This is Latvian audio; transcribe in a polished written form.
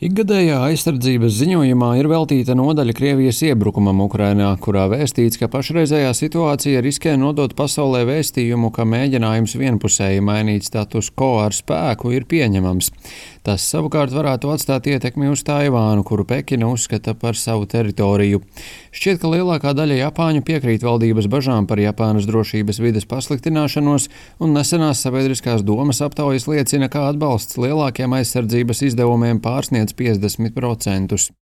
Ikgadējā aizsardzības ziņojumā ir veltīta nodaļa Krievijas iebrukumam Ukrainā, kurā vēstīts, ka pašreizējā situācija riskē nodot pasaulē vēstījumu, ka mēģinājums vienpusēji mainīt status quo ar spēku ir pieņemams. Tas savukārt varētu atstāt ietekmi uz Taivānu, kuru Pekina uzskata par savu teritoriju. Šķiet, ka lielākā daļa Japāņu piekrīt valdības bažām par Japānas drošības vides pasliktināšanos, un nesenās sabiedriskās domas aptaujas liecina, ka atbalsts lielākiem aizsardzības izdevumiem pārsniedz 50%.